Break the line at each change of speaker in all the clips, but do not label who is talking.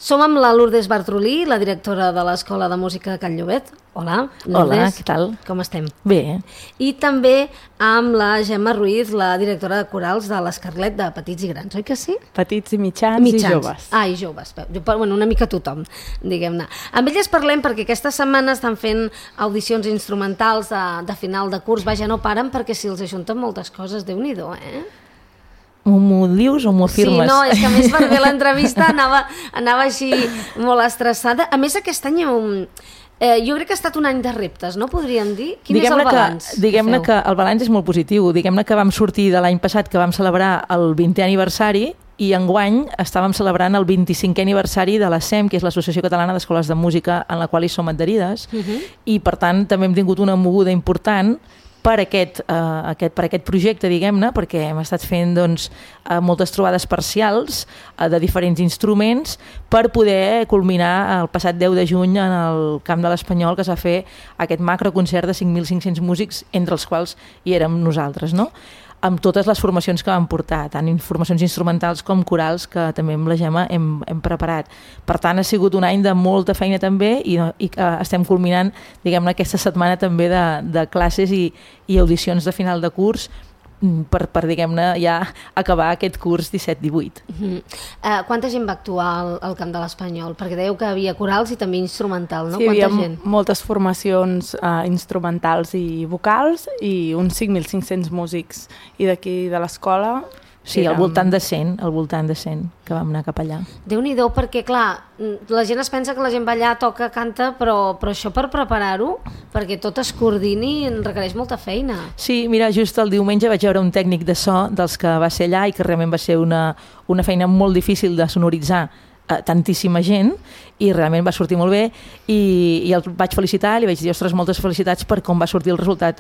Som amb la Lourdes Bartrolí, la directora de l'Escola de Música de Can Llobet. Hola, Lourdes.
Hola, què tal?
Com estem?
Bé.
I també amb la Gemma Ruiz, la directora de corals de l'Escarlet de Petits i Grans, oi que sí?
Petits i mitjans i joves.
Ah, i joves. Bueno, una mica tothom, diguem-ne. Amb elles parlem perquè aquesta setmana estan fent audicions instrumentals de final de curs. Vaja, no paren perquè si els ajunten moltes coses, Déu-n'hi-do,
M'ho dius o m'ho afirmes?
Sí, no, és que a més per fer l'entrevista anava així molt estressada. A més, aquest any jo crec que ha estat un any de reptes, no podríem dir? Quin és el balanç?
Diguem-ne que el balanç és molt positiu. Diguem-ne que vam sortir de l'any passat, que vam celebrar el 20è aniversari, i enguany estàvem celebrant el 25è aniversari de la SEM, que és l'Associació Catalana d'Escoles de Música, en la qual hi som adherides, i per tant també hem tingut una moguda important per aquest projecte, diguem-ne, perquè hem estat fent moltes trobades parcials de diferents instruments per poder culminar el passat 10 de juny en el Camp de l'Espanyol, que es va fer aquest macroconcert de 5.500 músics, entre els quals hi érem nosaltres, no? Amb totes les formacions que vam portar, tant formacions instrumentals com corals, que també amb la Gemma hem preparat. Per tant, ha sigut un any de molta feina també i estem culminant, diguem-ne, aquesta setmana també de classes i audicions de final de curs per diguem-ne, ja acabar aquest curs 17-18.
Quanta gent va actuar al Camp de l'Espanyol? Perquè dèieu que havia corals i també instrumental, no?
Sí, hi
havia
moltes formacions instrumentals i vocals i uns 5.500 músics. I d'aquí de l'escola...
Sí, al voltant de 100, que vam anar cap allà.
Déu-n'hi-do, perquè clar, la gent es pensa que la gent va allà, toca, canta, però això per preparar-ho, perquè tot es coordini, requereix molta feina.
Sí, mira, just el diumenge vaig veure un tècnic de so dels que va ser allà i que realment va ser una feina molt difícil de sonoritzar tantíssima gent, i realment va sortir molt bé, i el vaig felicitar, li vaig dir, ostres, moltes felicitats per com va sortir el resultat,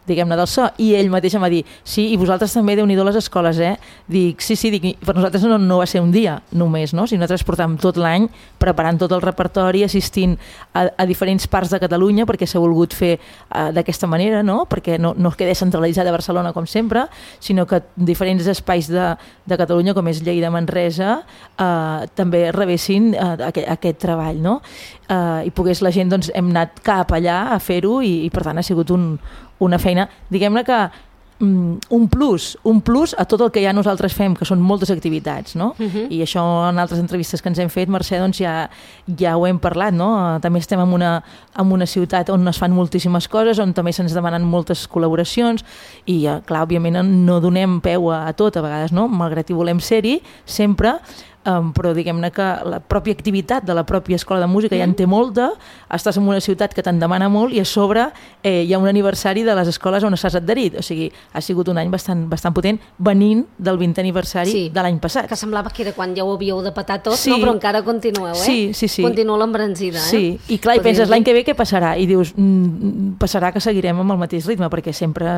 diguem-ne, del so, i ell mateix em va dir, sí, i vosaltres també, Déu-n'hi-do les escoles, Dic, sí, per nosaltres no va ser un dia només, no? Si nosaltres portàvem tot l'any preparant tot el repertori, assistint a diferents parts de Catalunya, perquè s'ha volgut fer d'aquesta manera, no? Perquè no quedi centralitzat a Barcelona com sempre, sinó que diferents espais de Catalunya, com és Lleida, Manresa, també rebessin aquest treball, no? I pogués la gent, hem anat cap allà a fer-ho i per tant ha sigut una feina, diguem-ne que un plus a tot el que ja nosaltres fem, que són moltes activitats, no? I això en altres entrevistes que ens hem fet, Mercè, ja ho hem parlat, no? També estem en una ciutat on es fan moltíssimes coses, on també se'ns demanen moltes col·laboracions i, clar, òbviament no donem peu a tot, a vegades, no? Malgrat hi volem ser-hi, sempre, però diguem-ne que la pròpia activitat de la pròpia escola de música ja en té molta, estàs en una ciutat que te'n demana molt i a sobre hi ha un aniversari de les escoles on estàs adherit, o sigui, ha sigut un any bastant potent venint del 20è aniversari de l'any passat.
Que semblava que era quan ja ho havíeu de petar tot, no? Però encara continueu,
Sí.
Continueu l'embranzida,
Sí, i clar, i penses l'any que ve què passarà? I dius, passarà que seguirem amb el mateix ritme, perquè sempre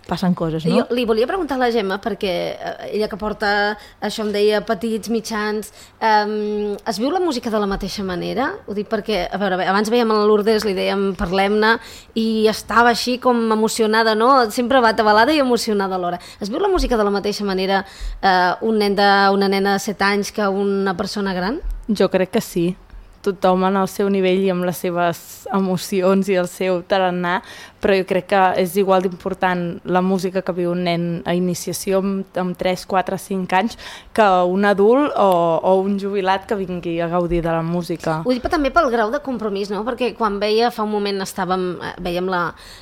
passen coses, no?
Jo li volia preguntar a la Gemma, perquè ella que porta, això em deia, petits, mitjans, es viu la música de la mateixa manera? Ho dic perquè, a veure, abans veiem a la Lourdes, li dèiem parlem-ne, i estava així com emocionada, no? Sempre va atabalada i emocionada alhora. Es viu la música de la mateixa manera una nena de 7 anys que una persona gran?
Jo crec que sí. Tothom en el seu nivell i amb les seves emocions i el seu tarannà, però jo crec que és igual d'important la música que viu un nen a iniciació amb 3, 4, 5 anys que un adult o un jubilat que vingui a gaudir de la música.
Ho dic també pel grau de compromís, no? Perquè quan fa un moment veiem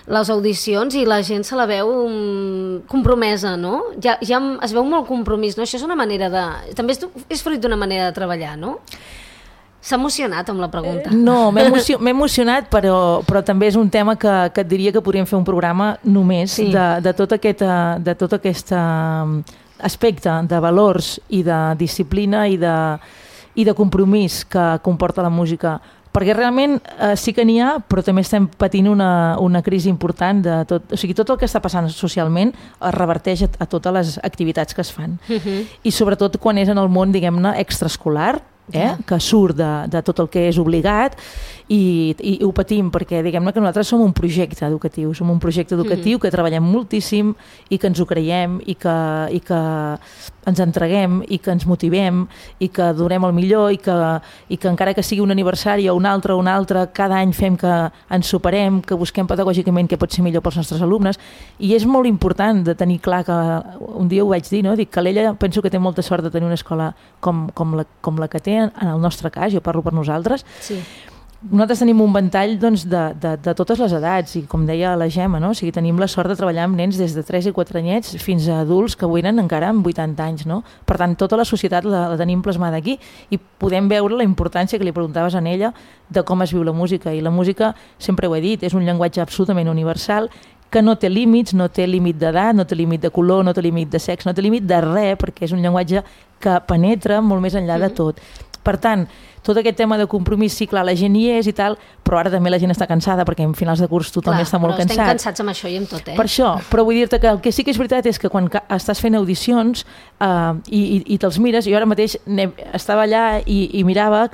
les audicions i la gent se la veu compromesa, no? Ja es veu molt compromís, no? Això és una manera també és fruit d'una manera de treballar, no? S'ha emocionat amb la pregunta.
No, m'he emocionat, però també és un tema que et diria que podríem fer un programa només de tot aquest aspecte de valors i de disciplina i de compromís que comporta la música. Perquè realment sí que n'hi ha, però també estem patint una crisi important de tot. O sigui, tot el que està passant socialment es reverteix a totes les activitats que es fan. I sobretot quan és en el món, diguem-ne, extraescolar, que surt de tot el que és obligat i ho patim perquè diguem-ne que nosaltres som un projecte educatiu, que treballem moltíssim i que ens ho creiem i que ens entreguem i que ens motivem i que donem el millor i que encara que sigui un aniversari o un altre, cada any fem que ens superem, que busquem pedagògicament què pot ser millor pels nostres alumnes i és molt important de tenir clar que un dia ho vaig dir, no? Dic que l'Ella penso que té molta sort de tenir una escola com la que té en el nostre cas, jo parlo per nosaltres.
Sí.
Nosaltres tenim un ventall doncs, de totes les edats i com deia la Gemma, no? O sigui, tenim la sort de treballar amb nens des de 3 i 4 anyets fins a adults que venen encara amb 80 anys. No? Per tant, tota la societat la tenim plasmada aquí i podem veure la importància que li preguntaves a ella de com es viu la música. I la música, sempre ho he dit, és un llenguatge absolutament universal que no té límits, no té límit d'edat, no té límit de color, no té límit de sexe, no té límit de res, perquè és un llenguatge que penetra molt més enllà de tot. Per tant, tot aquest tema de compromís, sí, clar, la gent hi és i tal, però ara també la gent està cansada perquè en finals de curs tothom està molt cansat.
Però estem cansats amb això i amb tot,
Per això, però vull dir-te que el que sí que és veritat és que quan estàs fent audicions i te'ls mires, jo ara mateix estava allà i mirava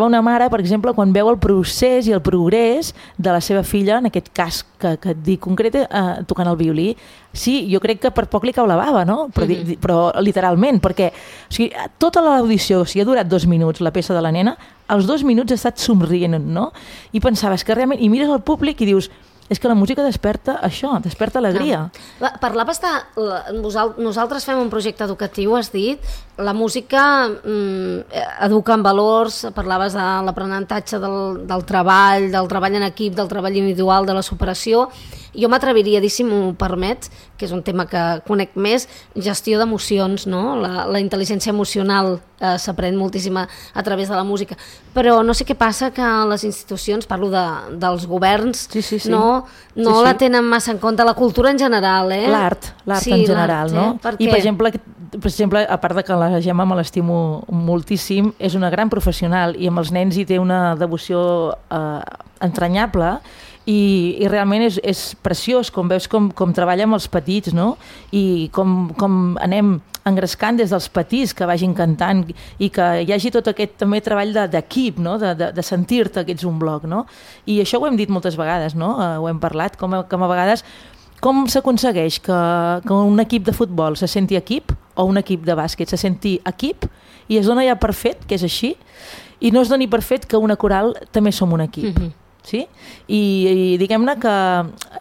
una mare, per exemple, quan veu el procés i el progrés de la seva filla, en aquest cas que et dic concret, tocant el violí. Sí, jo crec que per poc li cau la bava, no? Però literalment, perquè tota l'audició, si ha durat 2 minuts la peça de la nena, als 2 minuts ha estat somrient, no? I pensaves que realment, i mires el públic i dius, és que la música desperta això, desperta alegria.
Parlaves de... Nosaltres fem un projecte educatiu, has dit. La música educa en valors, parlaves de l'aprenentatge del treball en equip, del treball individual, de la superació. Jo m'atreviria a dir, si m'ho permets, que és un tema que conec més, gestió d'emocions, no? La intel·ligència emocional s'aprèn moltíssim a través de la música. Però no sé què passa que les institucions, parlo dels governs, no la tenen massa en compte, la cultura en general.
L'art en general, no? I per exemple, a part de que la Gemma me l'estimo moltíssim, és una gran professional i amb els nens hi té una devoció entranyable i realment és preciós com veus com treballa amb els petits, no? I com anem engrescant des dels petits que vagin cantant i que hi hagi tot aquest també treball d'equip, no? De sentir-te que ets un bloc, no? I això ho hem dit moltes vegades, no? Ho hem parlat, com a vegades com s'aconsegueix que un equip de futbol se senti equip o un equip de bàsquet se senti equip i es dona ja per fet que és així i no es doni per fet que una coral també som un equip. Sí? I diguem-ne que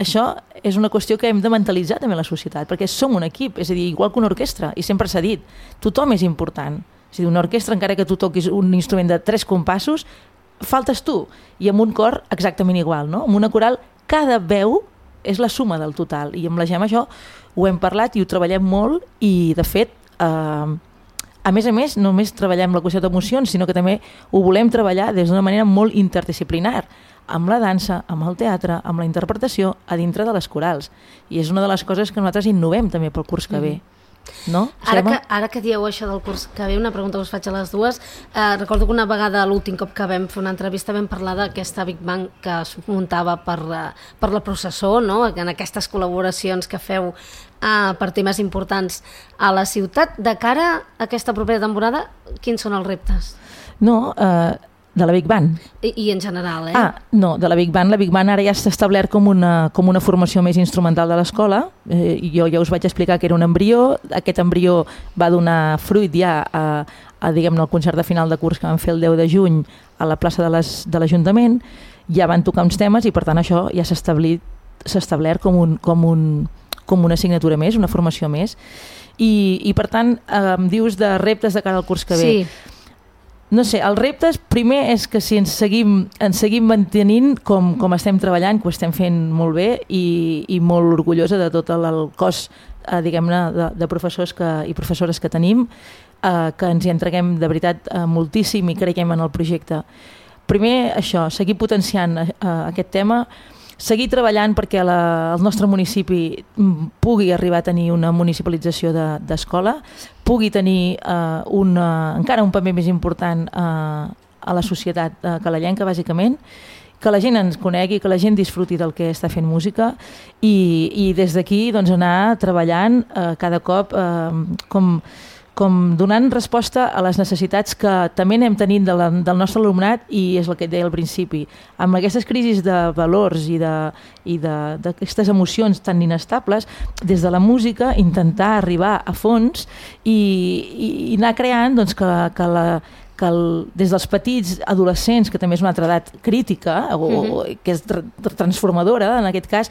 això és una qüestió que hem de mentalitzar també la societat, perquè som un equip, és a dir, igual que una orquestra, i sempre s'ha dit, tothom és important. És a dir, una orquestra, encara que tu toquis un instrument de 3 compassos, faltes tu, i amb un cor exactament igual, no? Amb una coral, cada veu és la suma del total, i amb la Gemma això ho hem parlat i ho treballem molt, i de fet, a més, no només treballem la qüestió d'emocions, sinó que també ho volem treballar des d'una manera molt interdisciplinar, amb la dansa, amb el teatre, amb la interpretació, a dintre de les corals. I és una de les coses que nosaltres innovem també pel curs que ve. No?
Ara que dieu això del curs que ve, una pregunta us faig a les dues. Recordo que una vegada, l'últim cop que vam fer una entrevista, vam parlar d'aquesta Big Bang que es muntava per la processó, no? En aquestes col·laboracions que feu per temes importants a la ciutat. De cara a aquesta propera temporada, quins són els reptes?
No, de la Big Band.
I en general,
No, de la Big Band. La Big Band ara ja s'ha establert com una formació més instrumental de l'escola. Jo ja us vaig explicar que era un embrió. Aquest embrió va donar fruit ja diguem-ne, al concert de final de curs que vam fer el 10 de juny a la plaça de l'Ajuntament. Ja van tocar uns temes i per tant això ja s'ha establert com una assignatura més, una formació més. I per tant, em dius de reptes de cara al curs que ve.
Sí.
No sé, els reptes, primer és que si ens seguim mantenint com estem treballant, que ho estem fent molt bé i molt orgullosa de tot el cos, diguem-ne, de professors i professores que tenim, que ens hi entreguem de veritat moltíssim i creiem en el projecte. Primer, això, seguir potenciant aquest tema, seguir treballant perquè el nostre municipi pugui arribar a tenir una municipalització d'escola, pugui tenir encara un paper més important a la societat calellenca, bàsicament, que la gent ens conegui, que la gent disfruti del que està fent música i des d'aquí doncs, anar treballant cada cop com donant resposta a les necessitats que també anem tenint del nostre alumnat, i és el que et deia al principi. Amb aquestes crisis de valors i d'aquestes emocions tan inestables, des de la música intentar arribar a fons i anar creant doncs, que des dels petits adolescents, que també és una altra edat crítica, que és transformadora en aquest cas,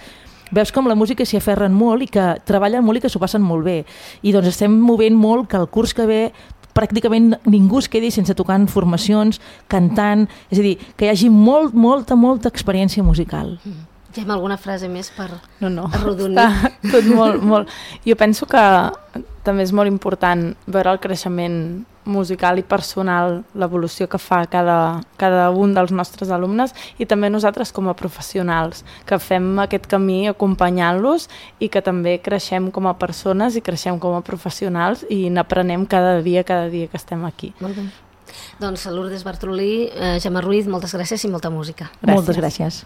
veus com la música s'hi aferren molt i que treballen molt i que s'ho passen molt bé. I doncs estem movent molt que el curs que ve pràcticament ningú es quedi sense tocar en formacions, cantant, és a dir, que hi hagi molta experiència musical.
Hi ha alguna frase més per arrodonir?
Està tot molt. Jo penso que també és molt important veure el creixement musical i personal, l'evolució que fa cada un dels nostres alumnes, i també nosaltres com a professionals, que fem aquest camí acompanyant-los i que també creixem com a persones i creixem com a professionals i n'aprenem cada dia que estem aquí.
Molt bé. Doncs Lourdes Bartrolí, Gemma Ruiz, moltes gràcies i molta música.
Gràcies. Moltes gràcies.